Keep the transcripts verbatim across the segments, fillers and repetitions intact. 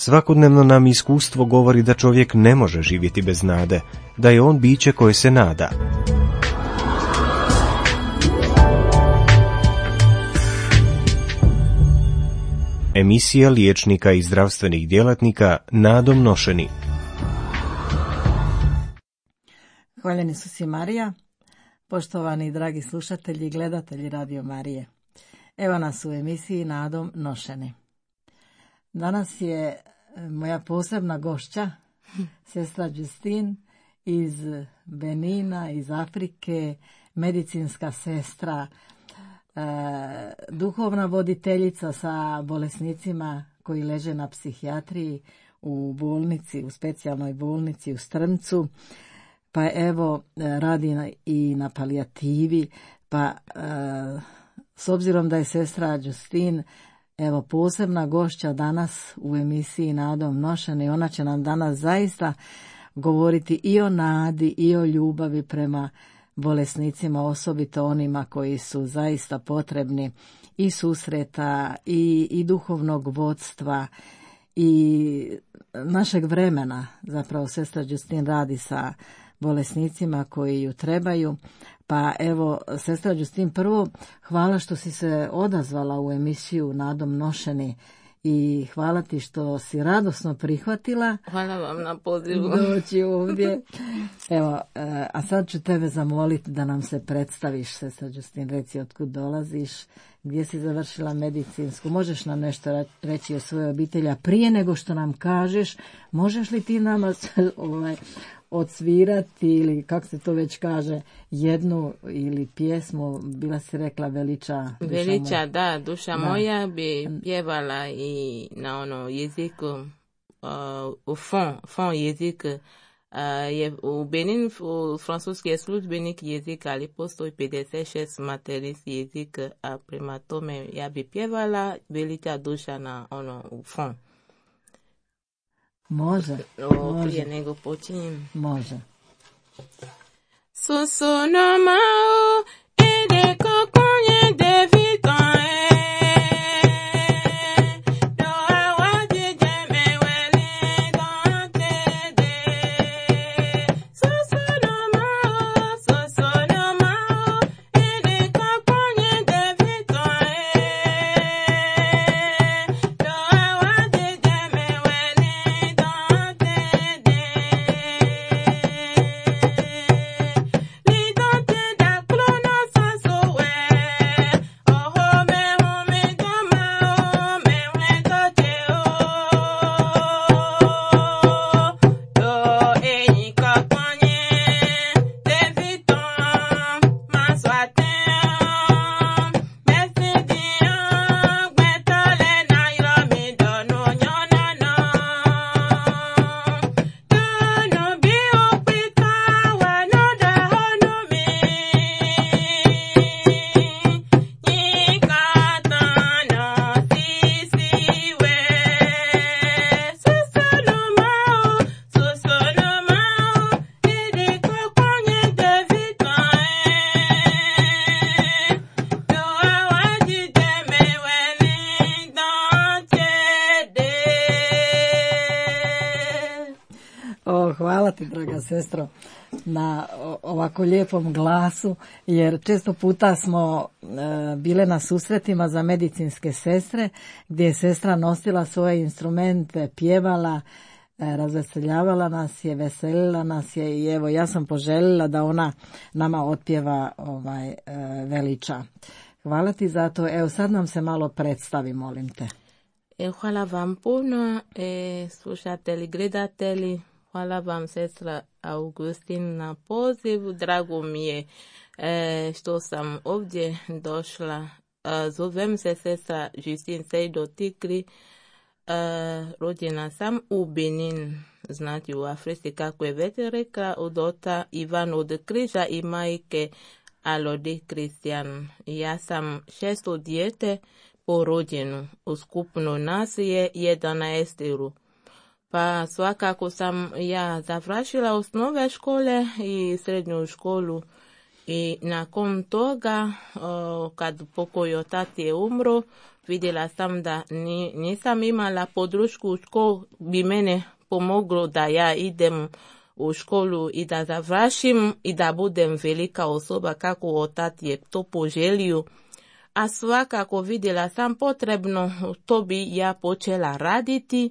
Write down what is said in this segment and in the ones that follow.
Svakodnevno nam iskustvo govori da čovjek ne može živjeti bez nade, da je on biće koje se nada. Emisija liječnika i zdravstvenih djelatnika nadom nošeni. Hvaljeni su si Marija, poštovani i dragi slušatelji i gledatelji Radio Marije. Evo nas u emisiji Nadom nošeni. Danas je moja posebna gošća, sestra Justine iz Benina, iz Afrike, medicinska sestra, e, duhovna voditeljica sa bolesnicima koji leže na psihijatriji u bolnici, u specijalnoj bolnici u Strmcu. Pa evo, radi i na palijativi, pa e, s obzirom da je sestra Justine evo posebna gošća danas u emisiji Nadom nošeni, ona će nam danas zaista govoriti i o nadi i o ljubavi prema bolesnicima, osobito onima koji su zaista potrebni i susreta i, i duhovnog vodstva i našeg vremena. Zapravo sestra Justine radi sa bolesnicima koji ju trebaju. Pa evo, sestra Justine, prvo hvala što si se odazvala u emisiju Nadom nošeni i hvala ti što si radosno prihvatila. Hvala vam na pozivu. Doći ovdje. Evo, a sad ću tebe zamoliti da nam se predstaviš, sestra Justine, reci otkud dolaziš, gdje si završila medicinsku, možeš nam nešto reći o svojoj obitelji, a prije nego što nam kažeš, možeš li ti nama ovaj, odsvirati ili kako se to već kaže, jednu ili pjesmu, bila si rekla Veliča duša Veliča, moja. da, duša da. moja bi pjevala i na ono jeziku, uh, u fon, fon jezik, uh, je u Benin, u francuski je službenik jezik, ali postoji pedeset šest materinski jezik, a prema tome ja bi pjevala Veliča duša na ono u fon. Može, o, može. Prije nego počinjem. Može. Sosonomao ede kokonye de vitan do awadi jeme wele dante de sosonomao sosonomao ede kokonye de vitan do awadi jeme wele dante de Hvala ti, draga sestro, na ovako lijepom glasu, jer često puta smo e, bile na susretima za medicinske sestre, gdje je sestra nosila svoje instrumente, pjevala, e, razveseljavala nas je, veselila nas je i evo ja sam poželjela da ona nama otpjeva ovaj, e, Veliča. Hvala ti za to. Evo sad nam se malo predstavi, molim te. E, hvala vam puno, e, slušatelji, gledatelji. Hvala vam, sestra Augustin, na poziv. Drago mi je e, što sam ovdje došla. E, zovem se sestra Justine Sejdo Tikri. E, rođena sam u Benin, znači u Africi, kako je već rekla, od ota Ivan od Križa i majke Alode Kristijan. Ja sam šesto dijete po rođenu. U skupno nas je jedanaesteru. Pa svakako sam ja završila osnove škole i srednju školu I nakon toga, uh, kad pokojio tati je umro, vidjela sam da ni, nisam imala podršku ko bi mene pomoglo da ja idem u školu i da završim i da budem velika osoba kako otac je to poželio. A svakako vidjela sam potrebno, to bi ja počela raditi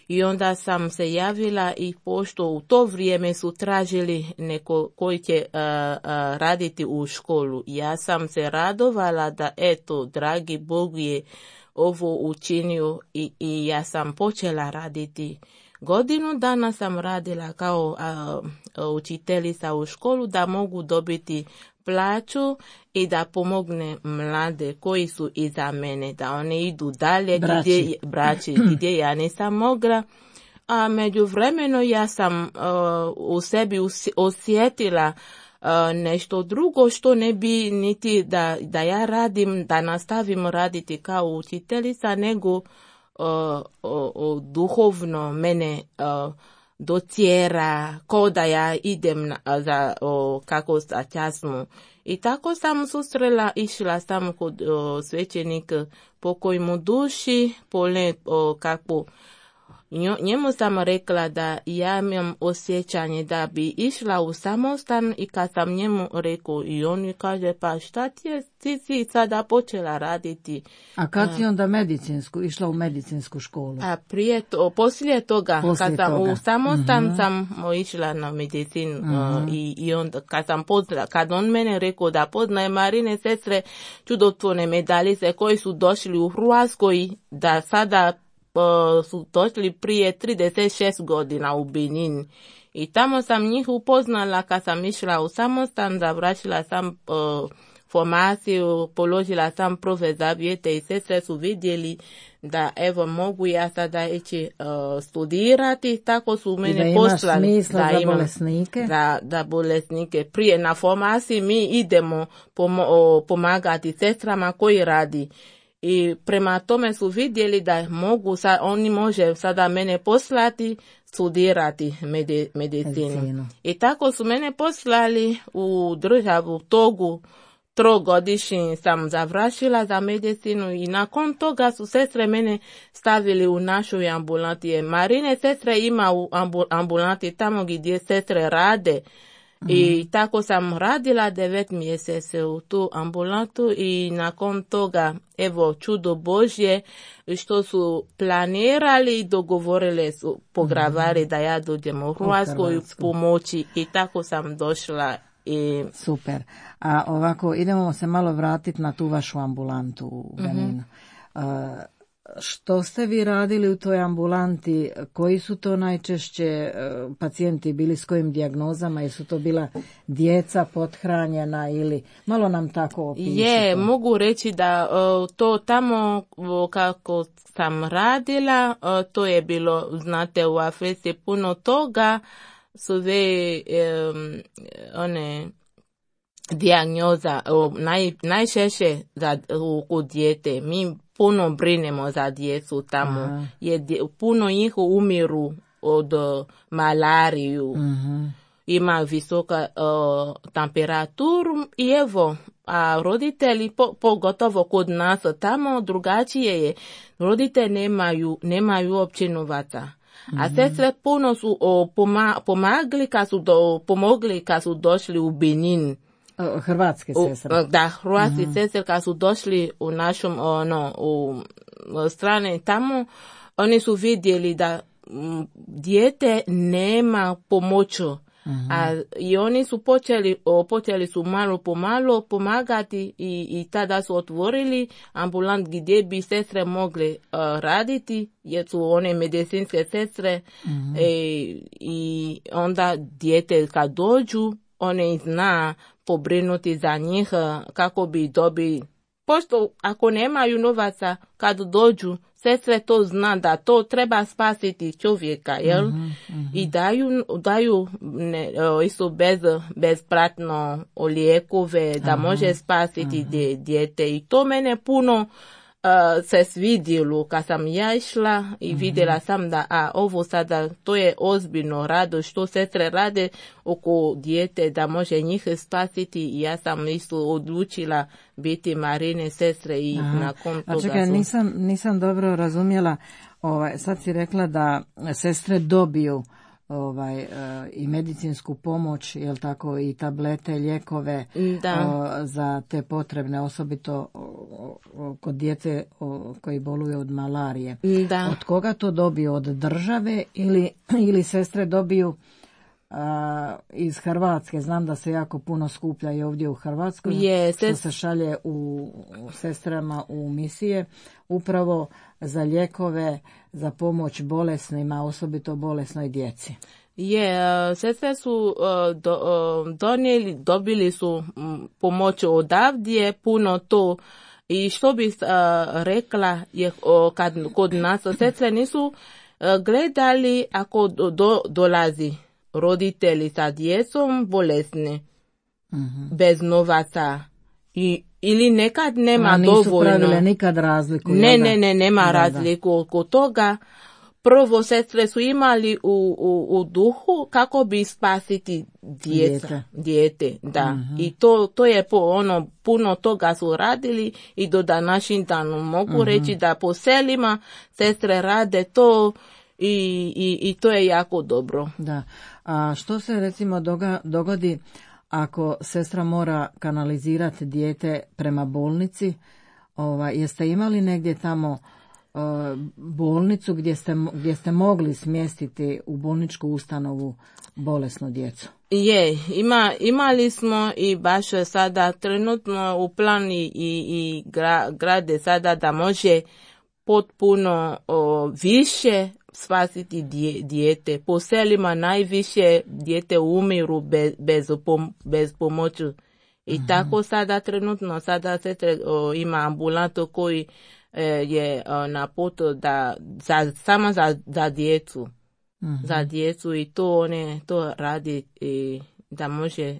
i onda sam se javila i pošto u to vrijeme su tražili neko koji će uh, uh, raditi u školu. Ja sam se radovala da eto, dragi Bog je ovo učinio i, i ja sam počela raditi. Godinu dana sam radila kao uh, učiteljica u školu da mogu dobiti plaću i da pomogne mlade koji su iza mene, da one idu dalje braći. gdje, braći, gdje ja nisam mogla. A međuvremeno ja sam uh, u sebi osjetila uh, nešto drugo što ne bi niti da, da ja radim, da nastavim raditi kao učiteljica, nego uh, uh, uh, duhovno mene uh, docjera, ko da ja idem na, za, o, kako sa časmu. I tako sam susrela, išla sam kod o, svećenika pokoj mu duši, pole o, kako njemu sam rekla da ja imam osjećanje da bi išla u samostan i kad sam njemu rekao i on mi kaže pa šta ti je, ti si sada počela raditi. A kad si onda medicinsku, išla u medicinsku školu? A prije to, poslije toga, poslije kad sam toga. u samostan uh-huh. sam išla na medicinu uh-huh. uh, i, i onda kad sam pozna, kad on mene rekao da poznaje Marine sestre čudotvorne medaljice koji su došli u Hrvatskoj, da sada Uh, su došli prije trideset šest godina u Benin. I tamo sam njih upoznala kad sam išla u samostan, završila sam uh, formaciju, položila sam profe zavjete i sestre su vidjeli da evo mogu ja sada ići uh, studirati, tako su mene poslali da, da imam bolesnike. Da, da bolesnike. Prije na formaciji mi idemo pom- pomagati sestrama koji radi. I prema tome su vidjeli da mogu, sa, oni može sada mene poslati studirati medi, medicinu. medicinu. I tako su mene poslali u državu Togu, trogodišnji sam završila za medicinu i nakon toga su sestre mene stavili u našoj ambulanti. Marine sestre ima u ambulanti tamo gdje sestre rade. I tako sam radila devet mjeseci u tu ambulantu i nakon toga, evo, čudo Božje, što su planirali i dogovorili su pogravari mm-hmm. da ja dođem u Hrvatsku i pomoći i tako sam došla. I... Super. A ovako, idemo se malo vratiti na tu vašu ambulantu u Beninu. Mm-hmm. Uh, Što ste vi radili u toj ambulanti? Koji su to najčešće pacijenti bili, s kojim dijagnozama? Jesu to bila djeca pothranjena ili malo nam tako opišite? Je, mogu reći da to tamo kako sam radila, to je bilo, znate, u Africi puno toga, sve um, one dijagnoza, naj, najčešće za, u, u dijete. Mi puno brinemo za djecu tamo. Je, puno njih umiru od uh, malariju. Uh-huh. Ima visoka uh, temperaturu i evo, a roditelji, po, pogotovo kod nas tamo, drugačije je. Roditelji nemaju, nemaju uopće novaca. Uh-huh. A sestre puno su uh, poma, pomagli kad su do, pomogli kad su došli u Benin. Hrvatske sestre. Da, hrvatske uh-huh. sestre kad su došli u našom ono, u, u strane tamo, oni su vidjeli da m, dijete nema pomoću. Uh-huh. A i oni su počeli, o, počeli su malo po malo pomagati i, i tada su otvorili ambulant gdje bi sestre mogle uh, raditi, jer su one medicinske sestre uh-huh. e, i onda dijete kad dođu, one zna pobrinuti za njih kako bi dobili. Pošto ako nemaju novaca kad dođu, sestre to zna da to treba spasiti čovjeka, jel? Mm-hmm, mm-hmm. I daju, daju ne, isto bez, bezplatno lijekove da Aha, može spasiti Aha. dijete. I to mene puno uh, se svidjelo kad sam ja išla i mm-hmm. vidjela sam da a ovo sada to je ozbiljno rado što sestre rade oko dijete da može njih spasiti i ja sam isto odlučila biti Marine sestre i Aha. nakon toga a čekaj, su... nisam, nisam dobro razumjela, ovaj, sad si rekla da sestre dobiju ovaj uh, i medicinsku pomoć, jel tako, i tablete, lijekove uh, za te potrebne, osobito uh, kod djece uh, koji boluju od malarije. Da. Od koga to dobiju? Od države ili, ili sestre dobiju uh, iz Hrvatske? Znam da se jako puno skuplja i ovdje u Hrvatskoj, je, što se šalje u, u sestrama u misije, upravo za lijekove, za pomoć bolesnima, osobito bolesnoj djeci. Je, uh, sestre su uh, do, uh, donijeli, dobili su um, pomoć odavdje, puno to. I što bih uh, rekla je uh, kad kod nas sestre nisu uh, gledali ako do, do, dolazi roditelji sa djecom bolesni, mm-hmm. bez novaca. I, ili nekad nema A nisu dovoljno. pravile nikad razliku. Ne, ne, ne, nema da, razliku da. Oko toga. Prvo sestre su imali u, u, u duhu kako bi spasiti djeca, dijete, dijete da. Mm-hmm. I to, to je po ono, puno toga su radili i do današnjim danom mogu mm-hmm. reći da po selima sestre rade to i, i, i to je jako dobro. Da. A što se recimo doga, dogodi ako sestra mora kanalizirati dijete prema bolnici? Ova, jeste imali negdje tamo uh, bolnicu gdje ste, gdje ste mogli smjestiti u bolničku ustanovu bolesnu djecu? Je, ima, imali smo i baš sada trenutno u plani i, i gra, grade sada da može potpuno o, više spasiti dje, dijete. Po selima najviše dijete umiru bez, bez, pom, bez pomoći. I mm-hmm. tako sada trenutno, sada sestre ima ambulantu koji e, je o, na putu da, za, samo za, za djecu. Mm-hmm. Za djecu i to one to radi i da može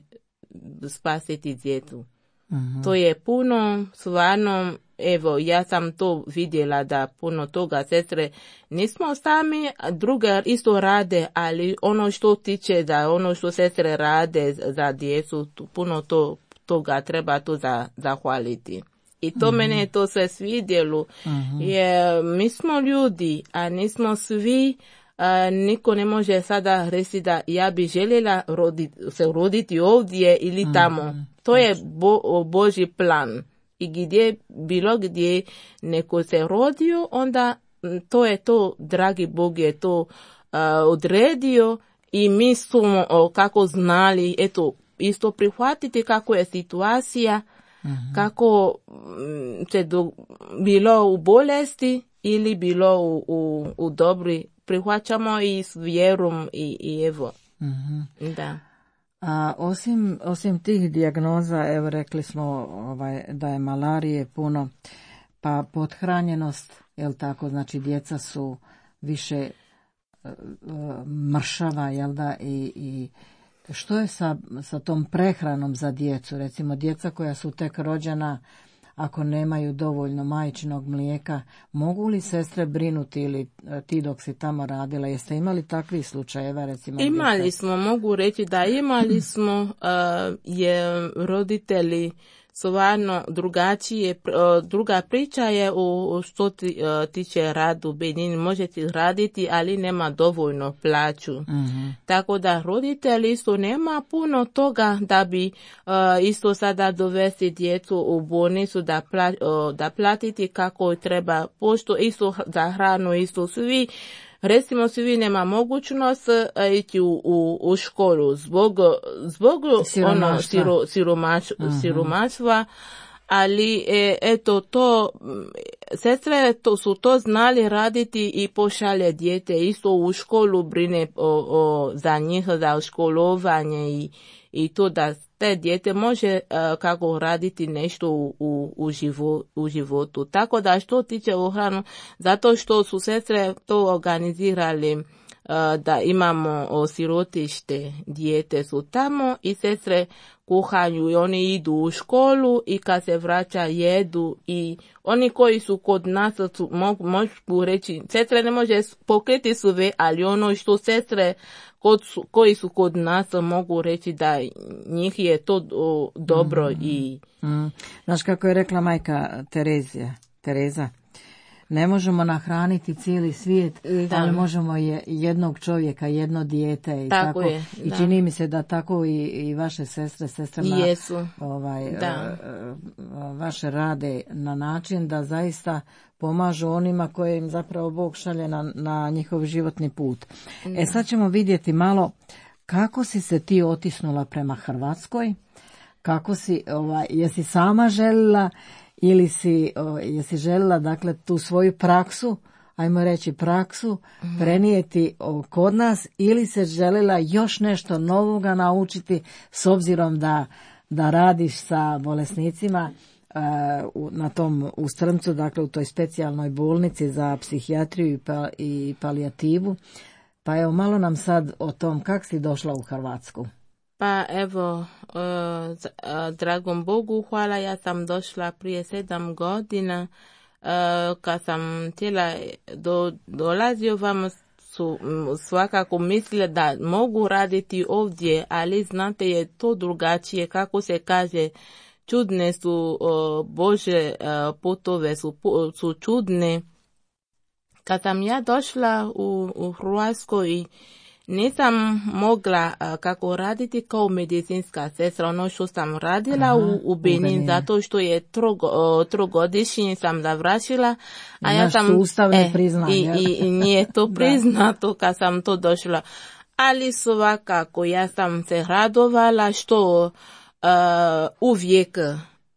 spasiti djecu. Mm-hmm. To je puno, stvarno, evo, ja sam to vidjela da puno toga sestre nismo sami, druge isto rade, ali ono što tiče da ono što sestre rade za djecu, puno to, toga treba to za, zahvaliti. I to mm-hmm. mene to se svidjelo, mm-hmm. jer mi smo ljudi, a nismo svi. Uh, niko ne može sada reći da ja bi željela roditi, se roditi ovdje ili tamo. Mm-hmm. To je bo, Božji plan. I gdje, bilo gdje neko se rodio, onda to je to, dragi Bog je to uh, odredio i mi smo uh, kako znali, eto, isto prihvatiti kako je situacija, mm-hmm. kako um, se do, bilo u bolesti ili bilo u, u, u dobri, prihvaćamo i s vjerom i, i evo. Mm-hmm. Da. A osim, osim tih dijagnoza, evo rekli smo ovaj, da je malarije puno, pa pothranjenost, jel tako, znači djeca su više uh, mršava, jel da, i, i što je sa, sa tom prehranom za djecu, recimo djeca koja su tek rođena, ako nemaju dovoljno majčinog mlijeka, mogu li sestre brinuti ili ti dok si tamo radila? Jeste imali takvih slučajeva? Recimo, imali ste... smo, mogu reći da imali smo, uh, je roditelji stvarno drugačije, uh, druga priča je u što ti, uh, tiče radu Benin, možete raditi, ali nema dovoljno plaću. Mm-hmm. Tako da roditelji isto nema puno toga da bi uh, isto sada dovesti djecu u bolnicu da, pla, uh, da platiti kako treba, pošto isto za hranu isto svi. Recimo, svi nema mogućnost uh, ići u, u, u školu zbog, zbog siromaštva, ono, siro, siromaš, uh-huh. siromaštva, ali e, eto to, sestre to su to znali raditi i pošalje dijete isto u školu, brine o, o, za njih, za školovanje i, i to da te dijete može uh, kako raditi nešto u, u, u, živo, u životu. Tako da što tiče u hranu, zato što su sestre to organizirali da imamo sirotište, dijete su tamo i sestre kuhaju i oni idu u školu i kad se vraća jedu i oni koji su kod nas su, mogu, mogu reći, sestre ne može pokriti sve, ali ono što sestre kod su, koji su kod nas mogu reći da njih je to o, dobro mm. i... Mm. Znaš kako je rekla majka Terezija, Tereza? Ne možemo nahraniti cijeli svijet, da. ali možemo je jednog čovjeka, jedno dijete i tako. tako. Je, I čini mi se da tako i, i vaše sestre, sestrama, Jesu. Ovaj, da. vaše rade na način da zaista pomažu onima koje im zapravo Bog šalje na, na njihov životni put. Da. E sad ćemo vidjeti malo kako si se ti otisnula prema Hrvatskoj, kako si, ovaj, jesi sama željela ili si, o, jesi željela dakle tu svoju praksu, ajmo reći praksu, mm-hmm. prenijeti o, kod nas ili se željela još nešto novoga naučiti s obzirom da, da radiš sa bolesnicima e, u, na tom u Strmcu, dakle u toj specijalnoj bolnici za psihijatriju i, pa, i palijativu. Pa evo malo nam sad o tom kak si došla u Hrvatsku. Pa evo, uh, dragom Bogu hvala, ja sam došla prije sedam godina, uh, kad sam htjela do, dolazio vam su svakako mislila da mogu raditi ovdje, ali znate je to drugačije, kako se kaže, čudne su uh, Bože uh, putove, su, su čudne. Kad sam ja došla u, u Hrvatsku i nisam mogla uh, kako raditi kao medicinska sestra, ono što sam radila Aha, u, u Benin, zato što je trogo, uh, trogodišnji sam završila, a ja sam sustav ne prizna, i, i, i nije to priznato kad sam to došla. Ali svakako ja sam se radovala što uh, uvijek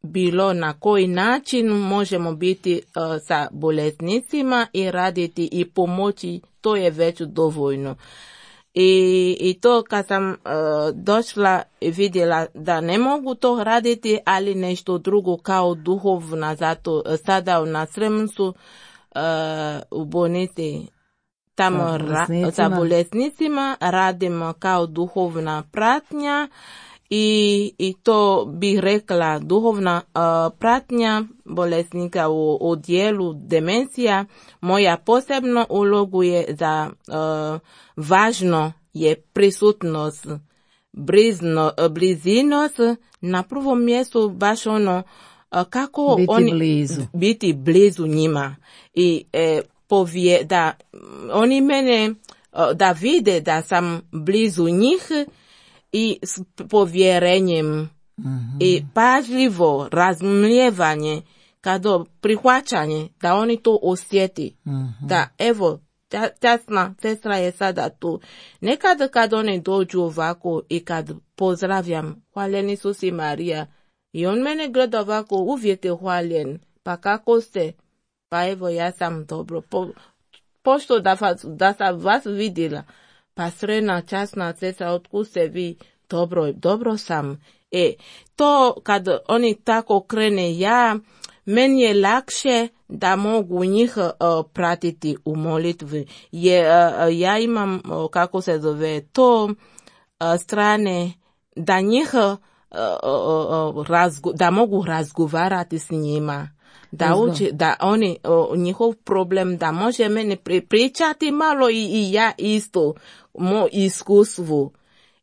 bilo na koji način možemo biti uh, sa bolesnicima i raditi i pomoći, to je već dovoljno. I, i to kad sam uh, došla i vidjela da ne mogu to raditi, ali nešto drugo kao duhovna, zato sada na Strmcu uh, u bolnici tamo sa bolesnicima. Ra, sa bolesnicima radimo kao duhovna pratnja i, i to bih rekla duhovna uh, pratnja bolesnika u, u dijelu demencija. Moja posebna ulogu je za uh, važno je prisutnost, blizno, blizinost, na prvom mjestu baš ono kako biti oni blizu. biti blizu njima i e, povije, da oni mene da vide da sam blizu njih i s povjerenjem mm-hmm. i pažljivo razumijevanje, kada prihvaćanje da oni to osjeti, mm-hmm. da evo Časna sestra je sada tu. Nekad kad oni dođu ovako i kad pozdravljam, hvaljen Isus i Marija, i on mene gleda ovako, uvijek je hvaljen. Pa kako ste? Pa evo ja sam dobro. Po, pošto da, vas, da sam vas vidjela, pa srena časna sestra, otkud ste vi? Dobro, dobro sam. E, to kad oni tako krene, ja, meni je lakše da mogu njih uh, pratiti u molitvi. Je, uh, ja imam, uh, kako se zove, to uh, strane da njih uh, uh, razgo, da mogu razgovarati s njima. Da, uči, da oni, uh, njihov problem, da može meni pri, pričati malo i, i ja isto, moj iskustvu.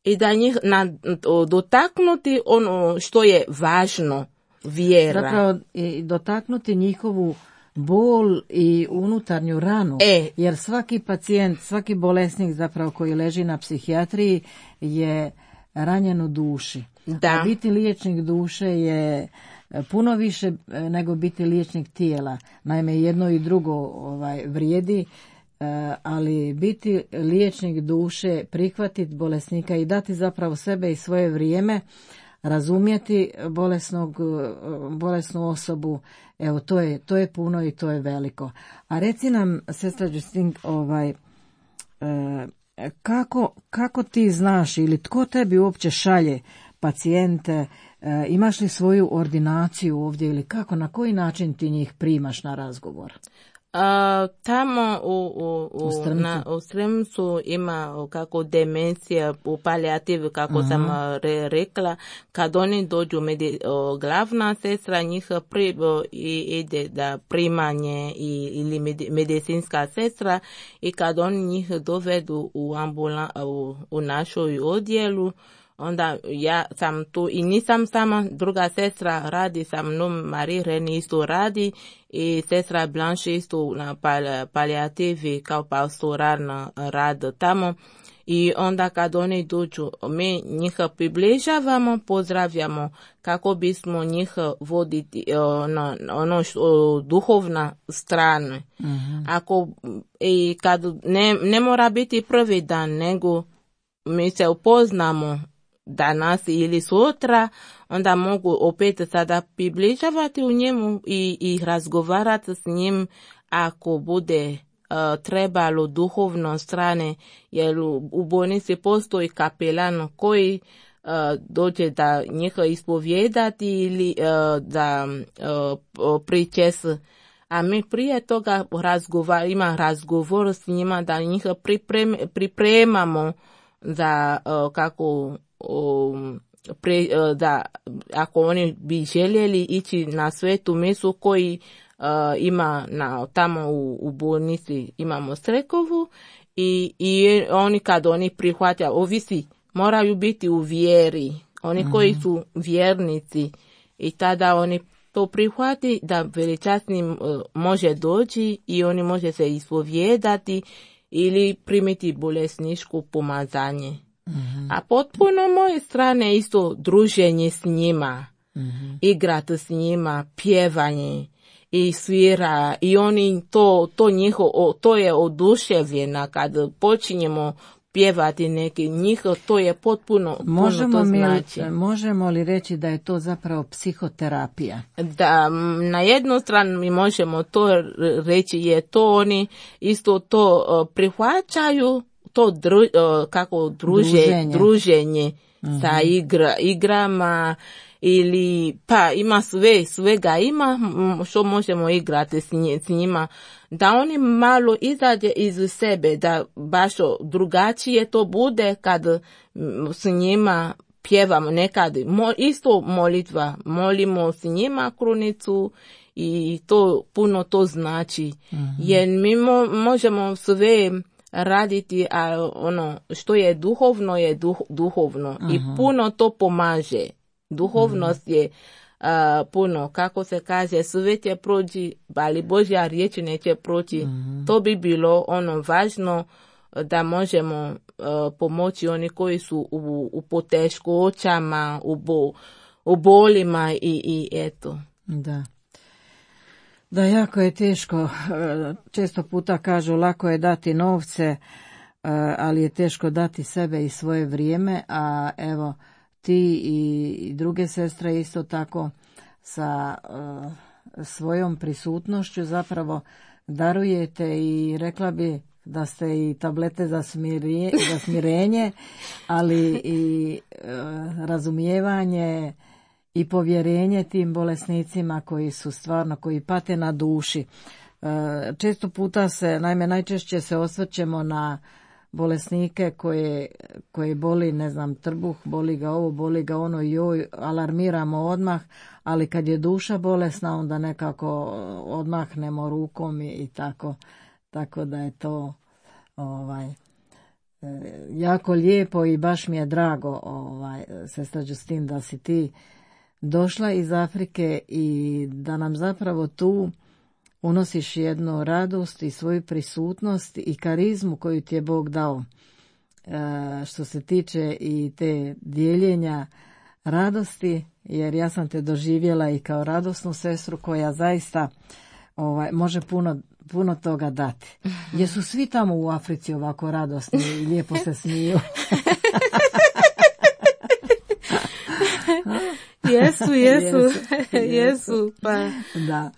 I da njih na, uh, dotaknuti ono što je važno, vjera. Zapravo i dotaknuti njihovu bol i unutarnju ranu, e. jer svaki pacijent, svaki bolesnik zapravo koji leži na psihijatriji je ranjen u duši. Da. A biti liječnik duše je puno više nego biti liječnik tijela. Naime, jedno i drugo ovaj, vrijedi, ali biti liječnik duše, prihvatiti bolesnika i dati zapravo sebe i svoje vrijeme, razumjeti bolesnog, bolesnu osobu, evo to je, to je puno i to je veliko. A reci nam, sestra Justine, ovaj, e, kako, kako ti znaš ili tko tebi uopće šalje pacijente, e, imaš li svoju ordinaciju ovdje ili kako, na koji način ti njih primaš na razgovor? A, tamo u, u, u, U Strmcu. na, u Strmcu ima kako demencija u palijativi, kako Aha. sam re, rekla, kad oni dođu, medi, o, glavna sestra njih pri, o, i, ide da primanje i, ili med, medicinska sestra i kad oni njih dovedu u, ambula, u, u našoj odjelu, onda ja sam tu i nisam sama, druga sestra radi sa mnom, Marie Reni isto radi i sestra Blanche isto na pal, palijativi kao pastoralna rad tamo. I onda kad oni dođu, mi njih približavamo, pozdravljamo kako bismo njih voditi ono, ono što, duhovna strana. Mhm. Ako i kad ne, ne mora biti prvi dan, nego mi se upoznamo danas ili sutra, onda mogu opet sada približavati u njemu i, i razgovarati s njim ako bude uh, trebalo duhovno strane, jer u, u bolnici postoji kapelan koji uh, dođe da njih ispovijedati ili uh, da uh, pričes. A mi prije toga razgovar, ima razgovor s njima da njih priprem, pripremamo za uh, kako um, pre, uh, da ako oni bi željeli ići na svetu mesu koji uh, ima na, tamo u, u bolnici imamo strekovu i, i oni kad oni prihvataju, ovisi, moraju biti u vjeri, oni mm-hmm. koji su vjernici i tada oni to prihvati da veličasni uh, može doći i oni može se ispovijedati ili primiti bolesničko pomazanje. Mm-hmm. A potpuno moje strane isto druženje s njima, mm-hmm. igrati s njima, pjevanje i svira i oni to, to njihovo, to je oduševljena kad počinjemo pjevati neki njih, to je potpuno, možemo puno to mi, znači. Možemo li reći da je to zapravo psihoterapija? Da, na jednu stranu mi možemo to reći, je to oni isto to uh, prihvaćaju, to dru, uh, kako druže, druženje, druženje mm-hmm. sa igra, igrama ili pa ima sve, svega ima što možemo igrati s, nj, s njima, da oni malo izađe iz sebe, da baš drugačije to bude kad s njima pjevamo nekad, mo, isto molitva, molimo s njima krunicu i to puno to znači, mm-hmm. jer mi mo, možemo sve raditi, a ono što je duhovno je duh, duhovno uh-huh. i puno to pomaže. Duhovnost uh-huh. je uh, puno, kako se kaže, sve će proći, ali Božja riječ neće proći. Uh-huh. To bi bilo ono važno da možemo uh, pomoći oni koji su u, u poteškoćama, u, bo, u bolima i, i eto. Da. Da, jako je teško, često puta kažu lako je dati novce, ali je teško dati sebe i svoje vrijeme, a evo ti i druge sestre isto tako sa svojom prisutnošću zapravo darujete i rekla bi da ste i tablete za, smirje, za smirenje, ali i razumijevanje i povjerenje tim bolesnicima koji su stvarno, koji pate na duši. Često puta se, naime najčešće se osvrćemo na bolesnike koje, koje boli, ne znam, trbuh, boli ga ovo, boli ga ono, joj, alarmiramo odmah, ali kad je duša bolesna onda nekako odmahnemo rukom i, i tako, tako da je to ovaj, jako lijepo i baš mi je drago, ovaj, sestra Justin, da si ti došla iz Afrike i da nam zapravo tu unosiš jednu radost i svoju prisutnost i karizmu koju ti je Bog dao, e, što se tiče i te dijeljenja radosti, jer ja sam te doživjela i kao radosnu sestru koja zaista ovaj, može puno, puno toga dati. Jesu svi tamo u Africi ovako radosni i lijepo se smiju? jesu, jesu, jesu, pa... Da,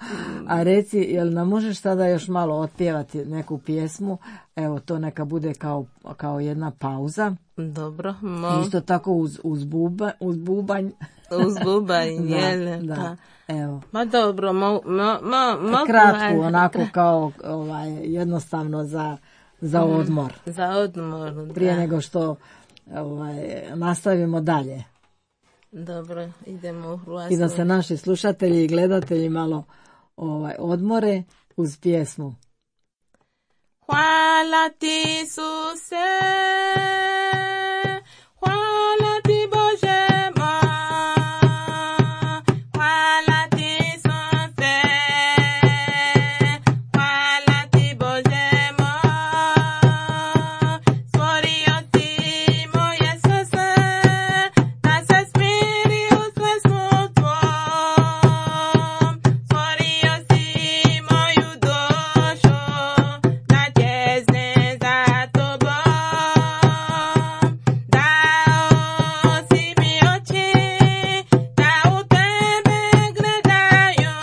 a reci, jel nam možeš sada još malo otpjevati neku pjesmu, evo to neka bude kao, kao jedna pauza. Dobro, mo... Isto tako uz, uz, buba, uz bubanj. Uz bubanj, da, jel? da, Pa. Evo. Ma dobro, mo, mo, mo, mo, kratku, onako kao ovaj, jednostavno za, za odmor. Za odmor, da. Prije nego što ovaj, nastavimo dalje. Dobro, idemo u Hrvatsku. I da se naši slušatelji i gledatelji malo ovaj, odmore uz pjesmu. Hvala ti, Isuse, hvala ti, Bože moj, hvala ti, Isuse, hvala ti, Bože moj, stvorio ti moje srce, da se smiri u svesmu tvom, stvorio si moju dušu, da čezne za tobom, dao si mi oči, da u tebe gledaju,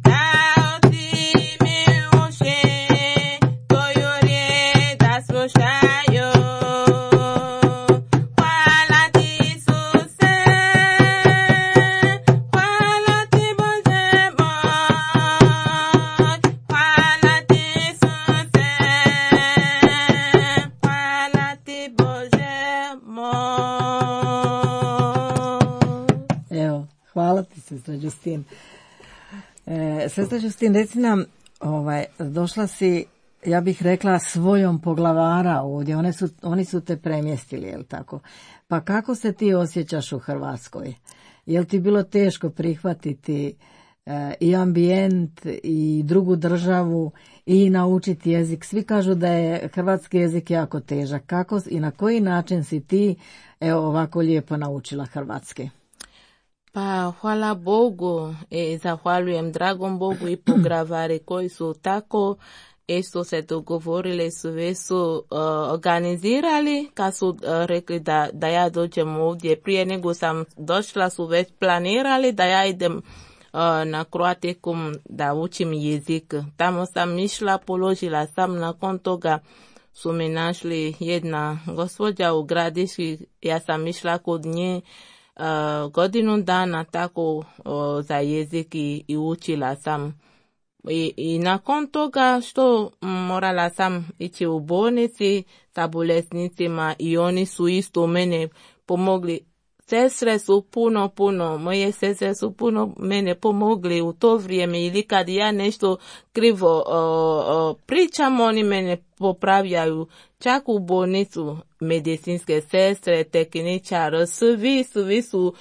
dao si mi uši, tvoju riječ da slušaju. Hvala ti, Isuse, hvala ti, Bože moj, hvala ti, Isuse, hvala ti, Bože moj. Evo, hvala ti, sestra Justin. E, sestra Justin, reci nam, ovaj, došla si, ja bih rekla, svojom poglavara ovdje, One su, oni su te premjestili, jel tako? Pa kako se ti osjećaš u Hrvatskoj? Jel ti bilo teško prihvatiti e, i ambijent i drugu državu i naučiti jezik? Svi kažu da je hrvatski jezik jako težak. Kako i na koji način si ti evo ovako lijepo naučila hrvatski? Pa hvala Bogu i zahvaljujem dragom Bogu i poglavari koji su tako isto se dogovorili, sve su uh, organizirali kad su uh, rekli da, da ja dođem ovdje. Prije nego sam došla su već planirali da ja idem uh, na Croaticum da učim jezik. Tamo sam išla, položila sam, nakon toga su mi našli jedna gospođa u Gradiški, ja sam išla kod nje uh, godinu dana tako uh, za jezik i, i učila sam. I, I nakon toga što morala sam ići u bolnici sa bolesnicima i oni su isto mene pomogli. Sestre su puno, puno, moje sestre su puno mene pomogli u to vrijeme ili kad ja nešto krivo o, o, pričam, oni mene popravljaju. Čak u bolnicu medicinske sestre, tehničar, svi, svi su,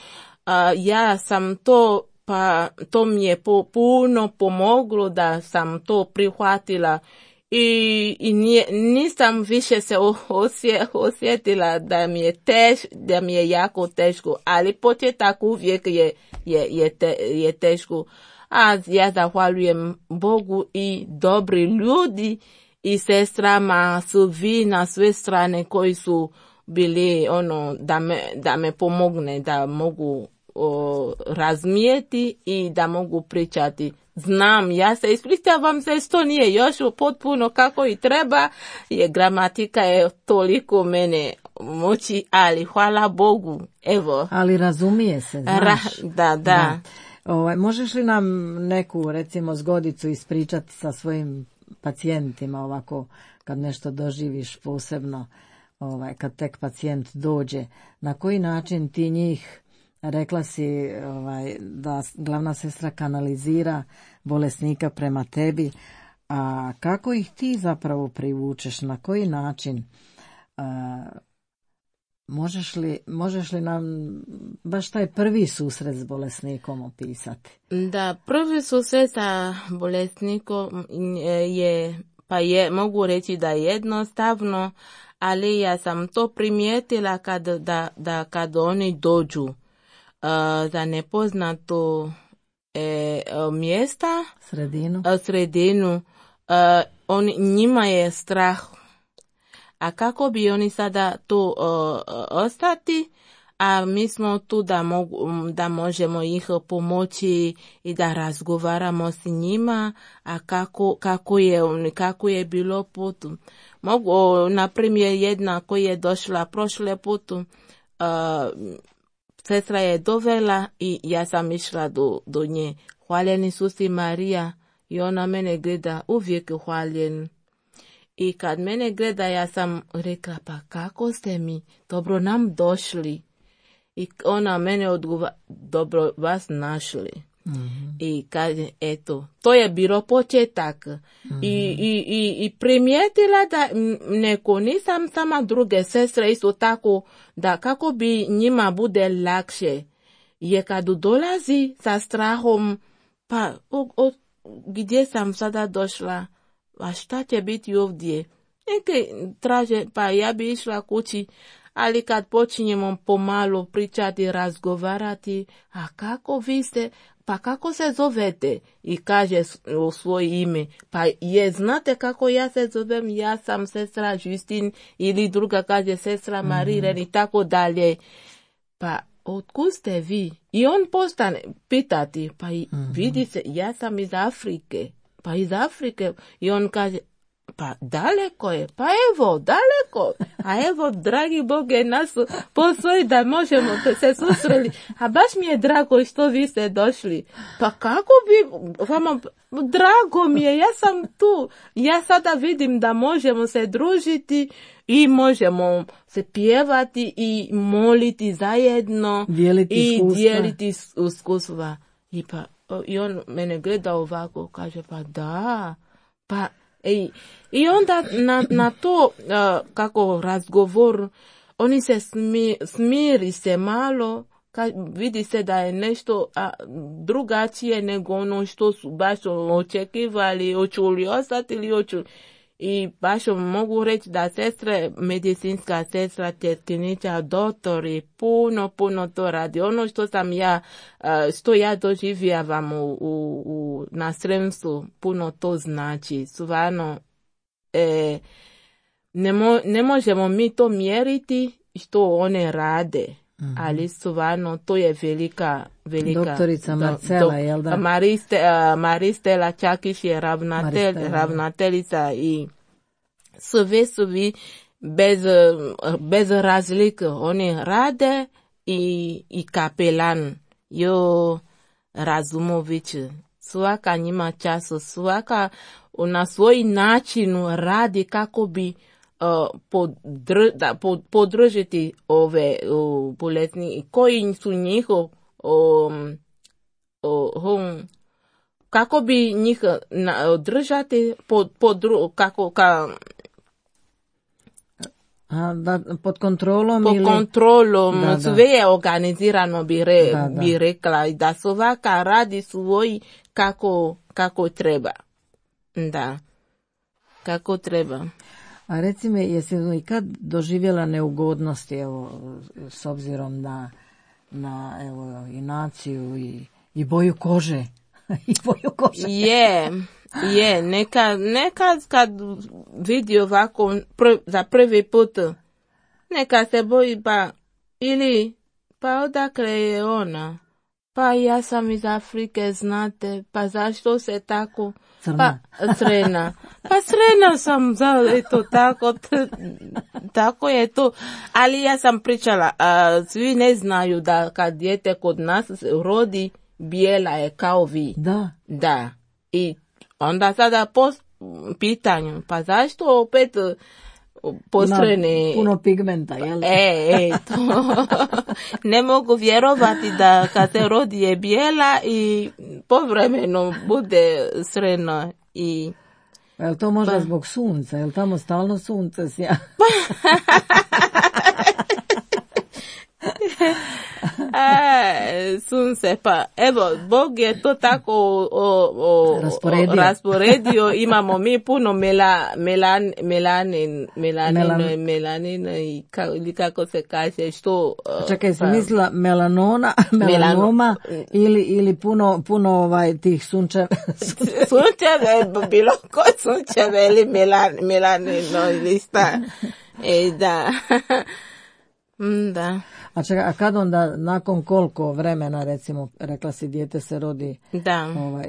a, ja sam to pa to mi je po, puno pomoglo da sam to prihvatila i, i nije, nisam više se osje, osjetila da mi je teš, da mi je jako teško, ali početak uvijek je, je, je, te, je teško. A ja zahvaljujem Bogu i dobri ljudi i sestrama su vi na sve strane koji su bili ono da me, da me pomogne da mogu O, razmijeti i da mogu pričati. Znam, ja se ispričavam se što nije još potpuno kako i treba, je gramatika je toliko mene moći, ali hvala Bogu, evo. Ali razumije se, znaš. Ra, da, da. da. Ovaj, možeš li nam neku, recimo, zgodicu ispričati sa svojim pacijentima ovako, kad nešto doživiš posebno, ovaj, kad tek pacijent dođe, na koji način ti njih, rekla si ovaj, da glavna sestra kanalizira bolesnika prema tebi, a kako ih ti zapravo privučeš, na koji način? A, možeš li, možeš li nam baš taj prvi susret s bolesnikom opisati? Da, prvi susret sa bolesnikom je, pa je, mogu reći da je jednostavno, ali ja sam to primijetila kad, da, da kad oni dođu Uh, za nepoznato e, uh, mjesta, sredinu, uh, sredinu uh, on, njima je strah. A kako bi oni sada to uh, ostati, a mi smo tu da, mogu, da možemo ih pomoći i da razgovaramo s njima, a kako, kako, je, kako je bilo put. Mogu, na primjer, jedna koja je došla prošle putu, uh, sestra je dovela i ja sam išla do, do nje. Hvaljen Isus i Marija, i ona mene gleda, uvijek hvaljen. I kad mene gleda, ja sam rekla, pa kako ste mi dobro nam došli? I ona mene odgovara, dobro vas našli. Mm-hmm. I kaže, eto, to je bilo početak. Mm-hmm. I, i, i, i primijetila da neko, nisam sama druge sestre isto tako, da kako bi njima bude lakše. Je kad dolazi sa strahom, pa o, o, gdje sam sada došla? A šta će biti ovdje? Neke traže, pa ja bi išla kući, ali kad počinjemo pomalo pričati, razgovarati, a kako vi ste, pa kako se zovete? I kaže u svoje ime, pa je, znate kako ja se zovem, ja sam sestra Justin, ili druga kaže sestra Mariren, mm-hmm. i tako dalje. Pa otkud ste vi? I on postane pitati, pa mm-hmm. vidi se, ja sam iz Afrike. Pa iz Afrike. I on kaže, pa daleko je, pa evo, daleko. A evo, dragi Bog je nas postoji da možemo se susreli. A baš mi je drago što vi ste došli. Pa kako bi, vama, drago mi je, ja sam tu. Ja sada vidim da možemo se družiti i možemo se pjevati i moliti zajedno. Dijeliti i iskustva. dijeliti iskustva. I pa, i on mene gleda ovako, kaže, pa da, pa, i, i onda na, na to, uh, kako razgovor, oni se smi, smiri se malo, ka, vidi se da je nešto a, drugačije nego ono što su baš očekivali, očuli ostati ili očuli. I baš mogu reći da sestre, medicinska sestra, tjetkinica, doktori, puno, puno to radi. Ono što sam ja, što ja doživljavam u, u, u, na Sremstvu, puno to znači. Stvarno, e, ne, mo, ne možemo mi to mjeriti što one rade. Mm-hmm. Ali stvarno, to je velika, velika... Doktorica Marcela, jel da? Mariste, uh, Maristela Čakiš je ravnatel, ravnateljica i sve su vi bez, bez razlike. Oni rade i, i kapelan. Jo, Razumović, svaka njima času, svaka na svoj način radi kako bi Uh, podr, da, pod, podržiti ove uh, bolesni koji su njihov um, um, kako bi njih na, održati pod, pod, kako, ka, A, da, pod kontrolom pod ili... kontrolom, da, da. sve je organizirano bi, re, da, da. bi rekla da svaka radi svoj kako, kako treba. Da, kako treba. A reci mi, jesi li kad doživjela neugodnosti, evo, s obzirom na, na evo, i naciju i, i boju kože? I boju kože. Je, je, nekad, nekad kad vidi ovako prv, za prvi put, neka se boji, pa, ili, pa odakle je ona? Pa ja sam iz Afrike, znate, pa zašto se tako... Crna. Pa, crna. Pa crna sam, za, eto, tako, t, tako je to. Ali ja sam pričala, a, svi ne znaju da kad dijete kod nas rodi, bijela je kao vi. Da. Da. I onda sada po pitanju, pa zašto opet postrene... Ima puno pigmenta, jel? E, e, to. Ne mogu vjerovati da kad se rodi je bijela i povremeno bude srena i... Jel to možda pa. Zbog sunca? Jel tamo stalno sunce sja? E, sunce, pa evo, Bog je to tako o, o, rasporedio. rasporedio. Imamo mi puno mela, melan, melanin, melanino, Melan... melanino i ka, ili kako se kaže, što... Čekaj, sam pa, mislila melanona, melanoma Melano... ili, ili puno, puno ovaj, tih sunčeva. Sunčeve, bilo ko sunčeve ili melan, melanino ili sta. E, da... Mm, da. A čekaj, a kad onda, nakon koliko vremena, recimo, rekla si dijete se rodi Da. ovaj,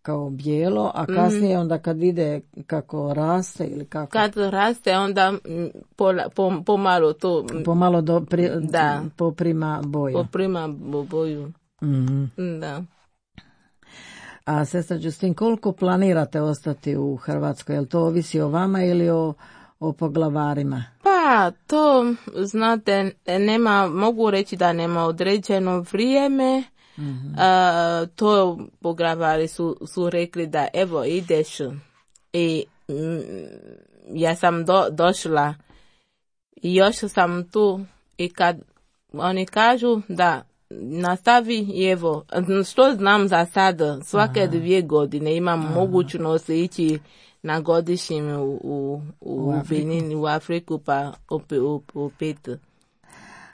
kao bijelo, a kasnije onda kad ide kako raste ili kako? Kad raste, onda mm, pola, pom, pomalo to mm, Pomalo do, pri, Da. poprima boju. poprima bo- boju. Mhm. Da. A sestra Justin, koliko planirate ostati u Hrvatskoj? Jel to ovisi o vama ili o, o poglavarima? Pa, to, znate, nema, mogu reći da nema određeno vrijeme. Mhm. A, to poglavari su, su rekli da evo ideš i mm, ja sam do, došla i još sam tu i kad oni kažu da nastavi i evo, što znam za sad, svake Aha. dvije godine imam mogućnost ići na godišnjem u, u, u, U Afriku. Benin, u Afriku pa opet, opet.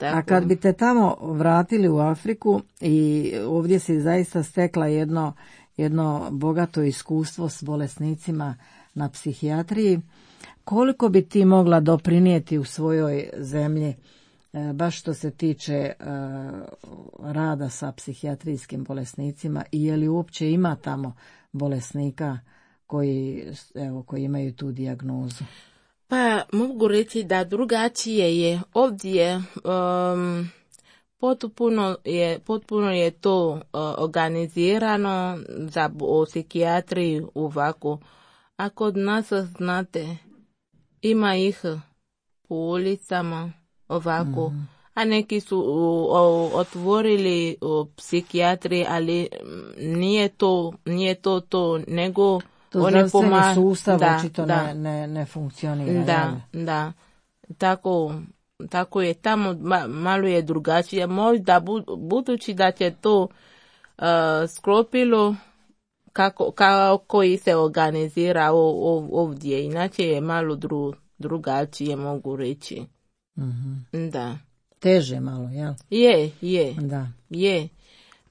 A kad bi te tamo vratili u Afriku i ovdje si zaista stekla jedno, jedno bogato iskustvo s bolesnicima na psihijatriji, koliko bi ti mogla doprinijeti u svojoj zemlji, e, baš što se tiče e, rada sa psihijatrijskim bolesnicima i je li uopće ima tamo bolesnika koji, evo, koji imaju tu dijagnozu? Pa mogu reći da drugačije je ovdje, um, potpuno je, potpuno je to uh, organizirano za o psihijatriji ovako. A kod nas, znate, ima ih po ulicama ovako, mm. a neki su uh, uh, otvorili uh, psihijatri, ali nije to, nije to to, nego To oni zdravstveni poma- sustav da, očito da. ne, ne, ne funkcionira. Da, jel? da. Tako, tako je tamo, ma, malo je drugačije. Možda bu, budući da će to uh, sklopilo kako, kako i se organizira o, o, ovdje. Inače je malo dru, drugačije, mogu reći. Mhm. Da. Teže malo, jel? Je, je, Da. je.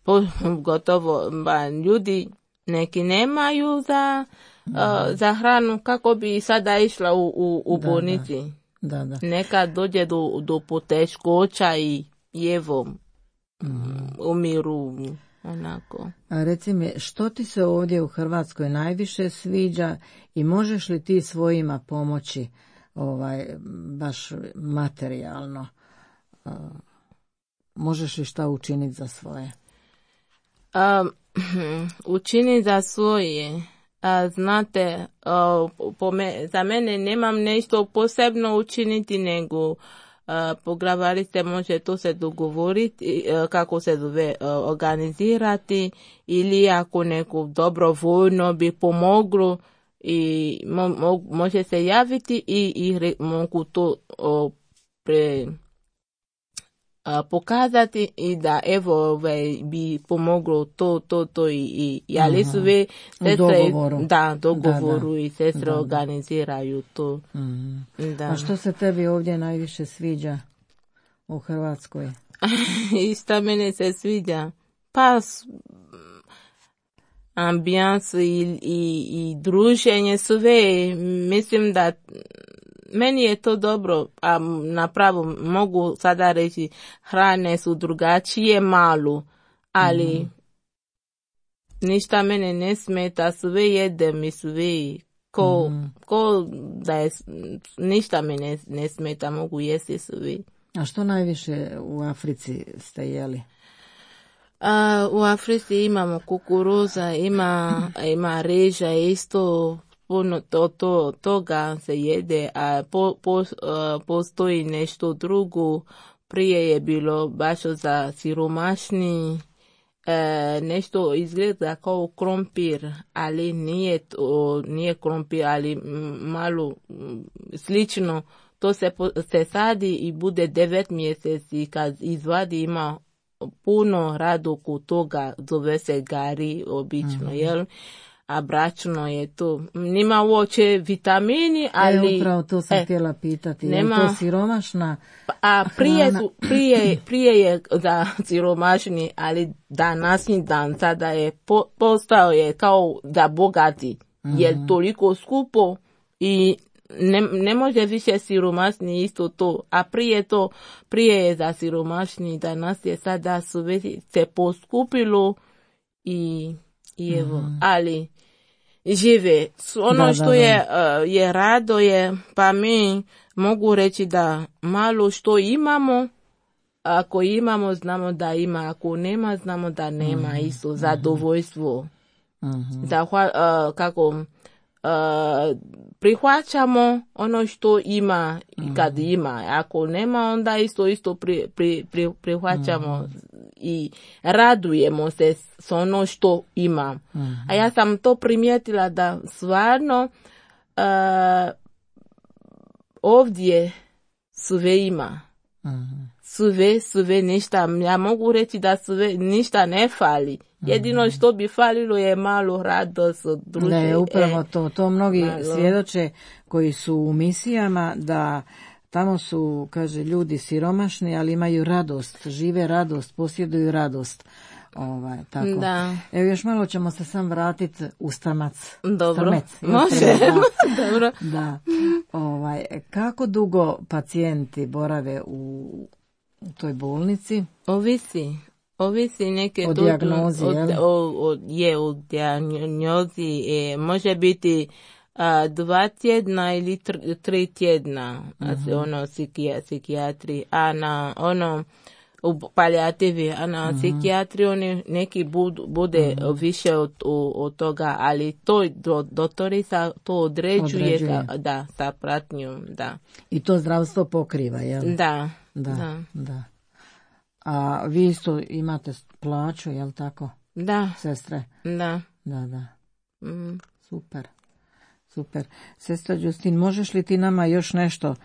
Po, gotovo, ba, ljudi neki nemaju za, uh, za hranu, kako bi sada išla u, u, u Da, bolnici. Da, da. Neka dođe do, do poteškoća i evo, umiru onako. A reci mi, što ti se ovdje u Hrvatskoj najviše sviđa i možeš li ti svojima pomoći ovaj, baš materijalno? A, možeš li šta učiniti za svoje? Um, učini za svoje. A, znate, a, po me, za mene nemam nešto posebno učiniti, nego a, poglavari se može to se dogovoriti, a, kako se zove, a, organizirati, ili ako neko dobrovoljno bi pomoglo i mo, mo, može se javiti i, i re, mogu to o, pre a, pokazati i da evo ovaj, bi pomoglo to, to, to i, i ali sve sestre, dogovoru. Da, dogovoru Da, da. i sestre Da, da. organiziraju to. Mhm. Da. A što se tebi ovdje najviše sviđa u Hrvatskoj? I šta mene se sviđa? Pa s- ambijans i, i, i druženje sve, mislim da meni je to dobro, a napravo mogu sada reći hrane su drugačije malo, ali Mhm. ništa mene ne smeta, sve jedem i sve, ko, Mhm. ko da je, ništa me ne, ne smeta, mogu jesti sve. A što najviše u Africi ste jeli? A, u Africi imamo kukuruza, ima, ima reža isto, puno to, to, toga se jede, a po, po, a, postoji nešto drugo. Prije je bilo baš za siromašni, e, nešto izgleda kao krompir, ali nije, to, nije krompir, ali m, malo m, slično. To se, po, se sadi i bude devet mjeseci, kad izvadi ima puno radoku toga, zove se gari obično, mm-hmm. jel? A bračno je to. Nima uopće vitamini, ali... E, upravo to sam e, htjela pitati. nema, je to siromašna a prije, hrana? su, prije, prije je za siromašni, ali današnji dan sada je po, postao je kao za bogati, mm-hmm. jer toliko skupo i ne, ne može više siromašni isto to, a prije to, prije je za siromašni, danas je sada sve se poskupilo i, i evo, mm-hmm. ali žive. Ono da, što da, je, da. je rado je, pa mi mogu reći da malo što imamo, ako imamo, znamo da ima, ako nema, znamo da nema, mm-hmm. isto zadovoljstvo. Mm-hmm. Da, uh, kako, uh, prihvaćamo ono što ima mm-hmm. kad ima, ako nema, onda isto isto pri, pri, pri, prihvaćamo mm-hmm. i radujemo se s ono što ima. Mm-hmm. A ja sam to primijetila da stvarno uh, ovdje sve ima. Mm-hmm. Sve, sve, ništa, ja mogu reći da sve, ništa ne fali. Jedino što bi falilo je malo radost od druge. Ne, upravo to, to mnogi malo. Svjedoče koji su u misijama da tamo su, kaže, ljudi siromašni, ali imaju radost, žive radost, posjeduju radost. Ovaj, tako. Da. Evo još malo ćemo se sam vratiti u Strmac. Dobro, Strmec, može. Da. Dobro. Da. Ovaj, kako dugo pacijenti borave u, u toj bolnici? Ovisi. Ovisi neke o dijagnozi, od, o, o, je u dijagnozi, e, može biti a, dva tjedna ili tr, tri tjedna, uh-huh. ono psihijatri, a na ono u palijativi, a na uh-huh. psihijatri oni neki bud, bude uh-huh. više od, od toga, ali to do, doktorica to određuje, određuje. Sa, da, sa pratnjom, da. I to zdravstvo pokriva, jel? Da, da, da. da. A vi isto imate plaću, jel tako? Da. Sestre? Da. Da, da. Mm. Super, super. Sestra Justin, možeš li ti nama još nešto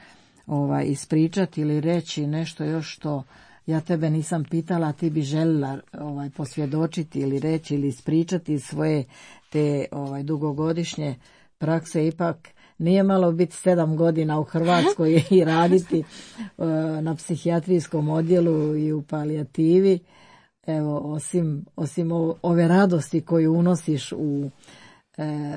ovaj, ispričati ili reći nešto još što ja tebe nisam pitala, a ti bi željela ovaj, posvjedočiti ili reći ili ispričati svoje te ovaj, dugogodišnje prakse? Ipak nije malo biti sedam godina u Hrvatskoj i raditi uh, na psihijatrijskom odjelu i u palijativi. Evo, osim, osim ove radosti koju unosiš u, uh,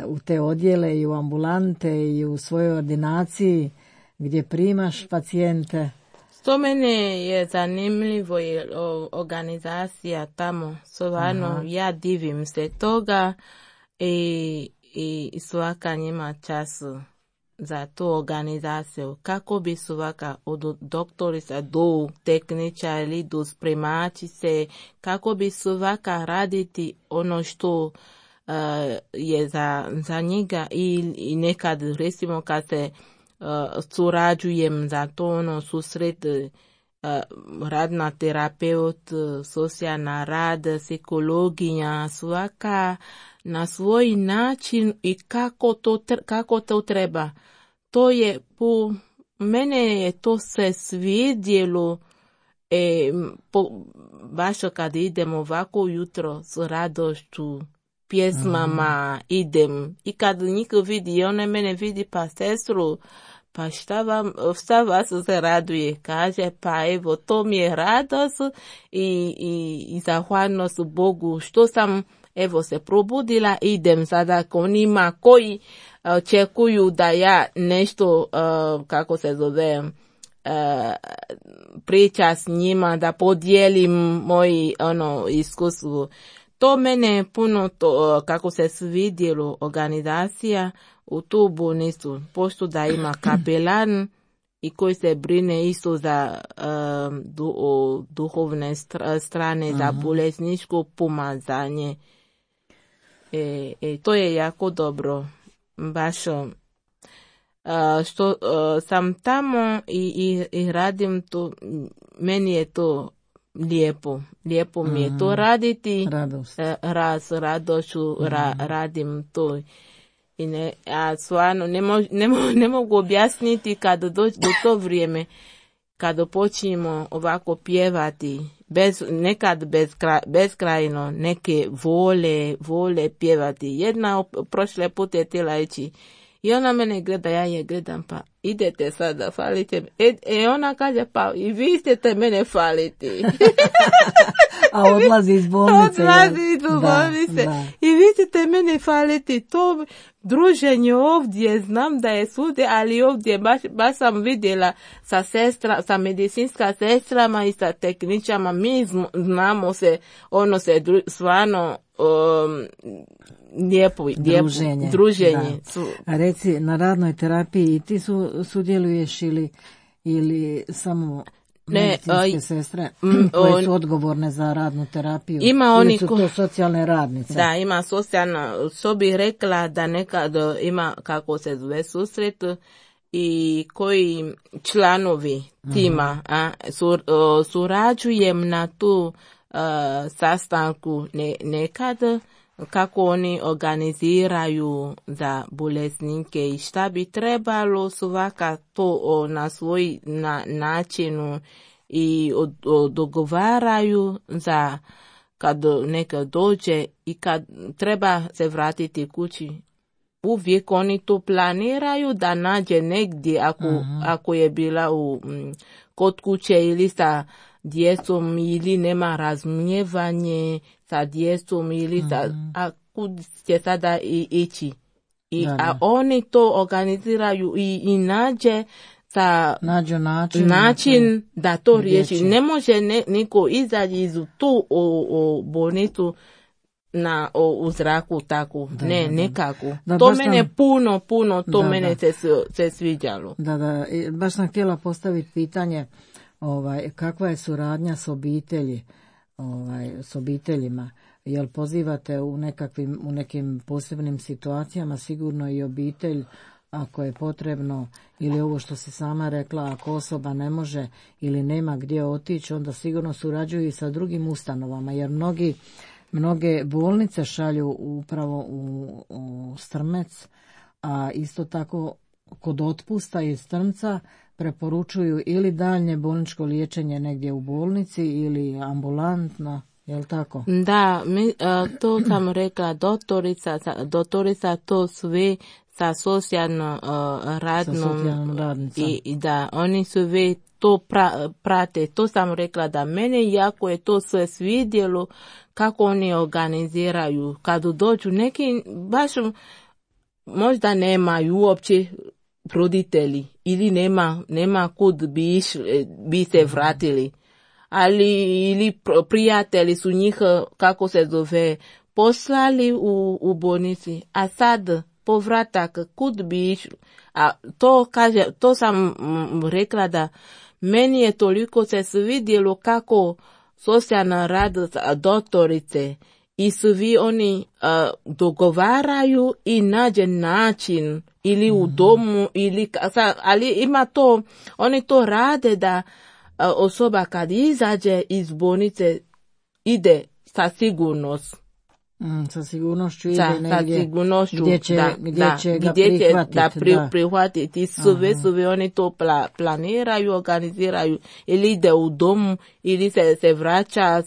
u te odjele i u ambulante i u svojoj ordinaciji gdje primaš pacijente. To mene je zanimljivo je organizacija tamo. Stvarno, ja divim se toga i i svaka njima čas za tu organizaciju. Kako bi svaka od doktorica do tehničara ili do spremačice, kako bi svaka raditi ono što uh, je za, za njega i, i nekad recimo kad se uh, surađujem za to ono susret uh, radna terapeut, socijalna rad, psikologinja, svaka na svoj način i kako to, kako to treba. To je, po mene je to se svidjelo, e, po, baš kad idem ovako jutro s radošću, pjesmama, mm. idem. I kad niko vidi, ona mene vidi, pa sestru, pa šta, vam, šta vas se raduje? Kaže, pa evo, to mi je radost i, i, i zahvalnost Bogu što sam evo se probudila, idem sada k onima koji očekuju da ja nešto, uh, kako se zove, uh, priča s njima, da podijelim moji ono, iskustvo. To mene puno, to, kako se svidjelo organizacija u tu bolnicu, pošto da ima kapelan i koji se brine isto za um, du, o, duhovne strane, uh-huh. za bolesničko pomazanje. E, e, to je jako dobro, baš uh, što uh, sam tamo i, i, i radim to, meni je to lijepo, lijepo mi je to raditi, radost. raz, radošću ra, radim to. I ne, a stvarno ne, mo, ne, mo, ne mogu objasniti kada dođe do to vrijeme, kada počnemo ovako pjevati, bez, nekad bezkraj, beskrajno, neke vole, vole pjevati. Jedna prošle put je tijela ići i ona mene gleda, ja je gledam, pa idete sada, falite. E, e ona kaže, pa i vi ćete mene faliti. A odlazi iz bolnice. Odlazi iz bolnice. Da, da. I vi ćete mene faliti. To druženje ovdje, znam da je svugdje, ali ovdje baš, baš sam vidjela sa sestra, sa medicinska sestrama i sa tehničama. Mi znamo se, ono se dru, stvarno um, lijepo, druženje. Lijepo, druženje. A reci, na radnoj terapiji i ti su, sudjeluješ ili, ili samo medicinske ne, sestre mm, koje su odgovorne za radnu terapiju? Ima oni su to socijalne radnice? Da, ima socijalna, što bih rekla da nekad ima, kako se zove, susret i koji članovi tima a, sur, o, surađujem na tu a, sastanku ne, nekad, kako oni organiziraju za bolesnike i šta bi trebalo svaka to o, na svoj na, načinu i od, od, dogovaraju za kad neka dođe i kad treba se vratiti kući. Uvijek oni to planiraju da nađe negdje ako, uh-huh. ako je bila u, m, kod kuće ili sa djecom ili nema razumijevanje sa djecom ili sa, mm-hmm. a kud će sada i, ići. I, da, da. A oni to organiziraju i, i nađe sa nađu način, način da to riješi. Ne može ne, niko izaći iz tu o, o bolnicu na, o, u zraku tako. Da, ne, da, nekako. Da, to mene sam... puno, puno, to da, mene da. Se, se sviđalo. Da, da, baš sam htjela postaviti pitanje ovaj, kakva je suradnja s obitelji, ovaj, s obiteljima. Jel pozivate u nekakvim, u nekim posebnim situacijama sigurno i obitelj ako je potrebno, ili ovo što si sama rekla, ako osoba ne može ili nema gdje otići, onda sigurno surađuju i sa drugim ustanovama, jer mnogi, mnoge bolnice šalju upravo u, u Strmec, a isto tako kod otpusta iz Strmca preporučuju ili daljnje bolničko liječenje negdje u bolnici ili ambulantno. Jel tako? Da, mi, uh, to sam rekla, doktorica, doktorica to sve sa socijalno uh, radnom i, i da oni sve to pra, prate. To sam rekla da mene jako je to sve svidjelo kako oni organiziraju. Kad dođu neki baš možda nemaju uopće roditelji ili nema, nema kud bi, iš, bi se vratili. Ali ili prijatelji su njih, kako se zove, poslali u, u bolnici, a sad povratak kud bi išli. A to kaže, to sam rekla da meni je toliko se svidjelo kako socijalna rad doktorice i svi oni uh, dogovaraju i nađe način ili u domu ili, ali ima to, oni to rade da osoba kad izađe iz bolnice ide sa sigurnost. Mm, sa sigurnošću ide sa, negdje sa sigurnošću, gdje će, da, gdje da, će ga gdje prihvatiti. Da, pri, da. prihvatiti. Sve, sve oni to pla, planiraju, organiziraju. Ili ide u domu, ili se, se vraća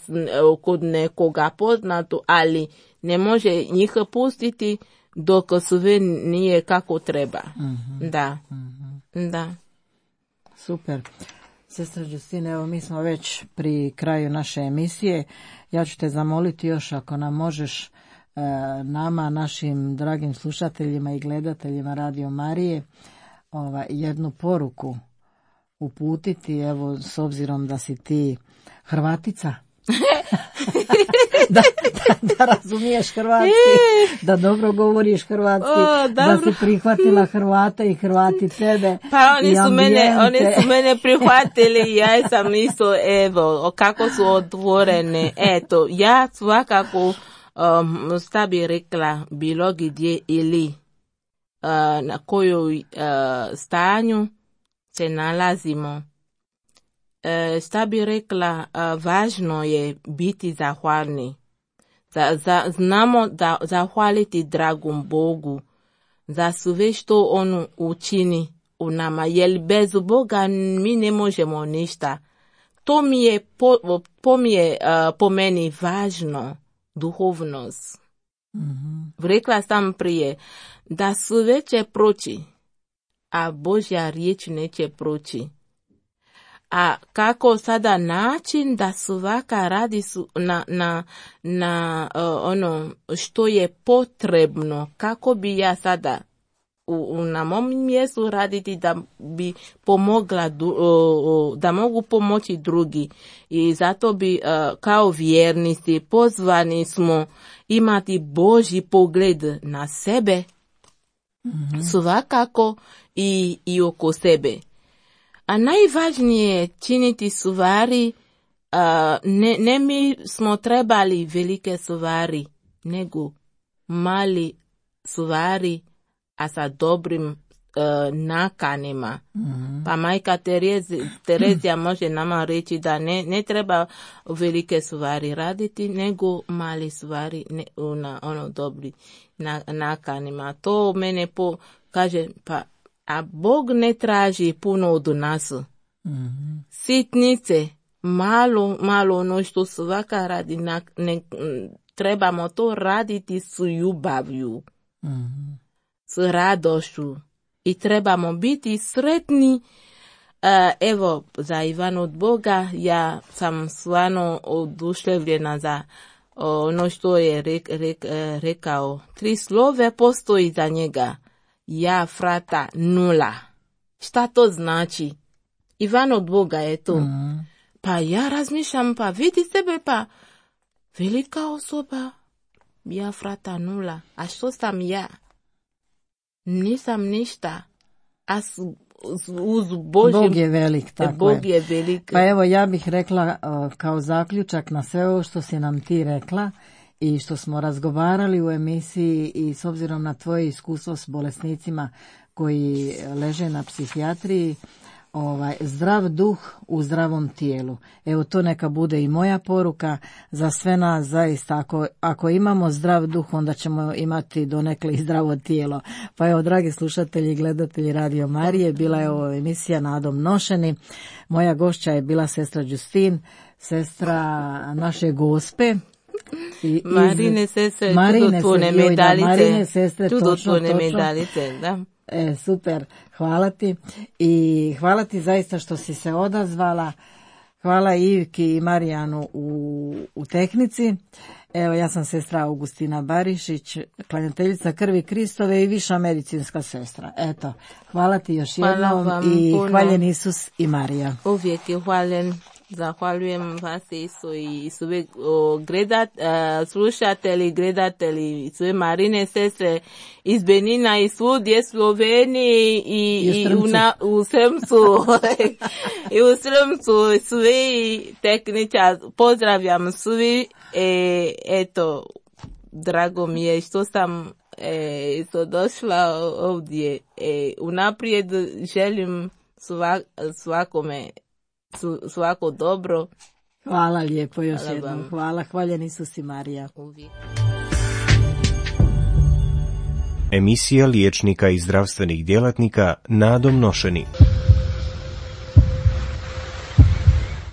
kod nekoga poznatu, ali ne može njih pustiti dok sve nije kako treba. Uh-huh. Da, uh-huh. da. Super. Sestra Justine, evo mi smo već pri kraju naše emisije. Ja ću te zamoliti još ako nam možeš e, nama, našim dragim slušateljima i gledateljima Radio Marije, ova, jednu poruku uputiti, evo s obzirom da si ti Hrvatica. da, da, da razumiješ hrvatski, da dobro govoriš hrvatski, o, da si prihvatila Hrvata i Hrvati tebe. Pa oni su mene, oni su mene prihvatili, ja sam isto, evo, kako su otvorene. Eto, ja svakako, um, šta bi rekla, bilo gdje ili uh, na kojoj uh, stanju se nalazimo. E, šta bi rekla, a, važno je biti zahvalni. Za, za, znamo da zahvaliti dragom Bogu za sve što on učini u nama, jer bez Boga mi ne možemo ništa. To mi je po, po, mi je, uh, po meni važno, duhovnost. Mm-hmm. Rekla sam prije da sve će proći, a Božja riječ neće proći. A kako sada način da svaka radi su na, na, na uh, ono što je potrebno, kako bi ja sada u, u, na mom mjestu raditi da bi pomogla, uh, da mogu pomoći drugi. I zato bi uh, kao vjernici pozvani smo imati Božji pogled na sebe, mm-hmm. svakako i, i oko sebe. A najvažnije je činiti stvari, uh, ne, ne mi smo trebali velike stvari, nego mali stvari, a sa dobrim uh, nakanima. Mm-hmm. Pa majka Terezi, Terezija može nama reći da ne, ne treba velike stvari raditi, nego mali stvari ne, na ono dobri na, nakanima. To mene po, kaže, pa a Bog ne traži puno od nas. Mm-hmm. Sitnice, malo, malo ono što svaka radi, na, ne, trebamo to raditi s ljubavlju, mm-hmm. s radošću i trebamo biti sretni. Uh, evo, za Ivan od Boga, ja sam stvarno oduševljena za ono što je rek, rek, rekao. Tri slove postoji za njega. Ja, frata, nula. Šta to znači? Ivan od Boga je to. Mm. Pa ja razmišljam, pa vidi sebe, pa velika osoba. Ja, frata, nula. A što sam ja? Nisam ništa. A s, uz Božim... Bog je velik, tako Bog je. je velik. Pa evo, ja bih rekla uh, kao zaključak na sve ovo što si nam ti rekla i što smo razgovarali u emisiji i s obzirom na tvoje iskustvo s bolesnicima koji leže na psihijatriji, ovaj, zdrav duh u zdravom tijelu. Evo, to neka bude i moja poruka za sve nas zaista. Ako, ako imamo zdrav duh, onda ćemo imati donekle i zdravo tijelo. Pa evo, dragi slušatelji i gledatelji Radio Marije, bila je ovo emisija Nadom nošeni. Moja gošća je bila sestra Justin, sestra naše Gospe. I, Marine sestre, čudotvorne medalice. Marine sestre, čudotvorne medalice, da. E, super, hvala ti i hvala ti zaista što si se odazvala. Hvala Ivki i Marijanu u, u tehnici. Evo, ja sam sestra Augustina Barišić, klanjateljica krvi Kristove i viša medicinska sestra. Eto, hvala ti još jednom i puno. Hvaljen Isus i Marija. Uvijek je hvaljen. Zahvaljujem vas Isu i sve gledat, uh, slušatelji, gledatelji, sve Marine sestre iz Benina i svudje Sloveniji i, I, i u, na, u Sremcu i u Sremcu svi tehničar, pozdravljam svi, e, eto, drago mi je što sam e, što došla ovdje, e, unaprijed želim svak, svakome svako dobro. Hvala lijepo još hvala jednom. Vam. Hvala, hvaljen Isus i Marija. Uvijek. Emisija liječnika i zdravstvenih djelatnika Nadom nošeni.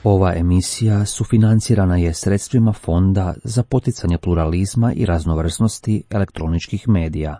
Ova emisija sufinancirana je sredstvima Fonda za poticanje pluralizma i raznovrsnosti elektroničkih medija.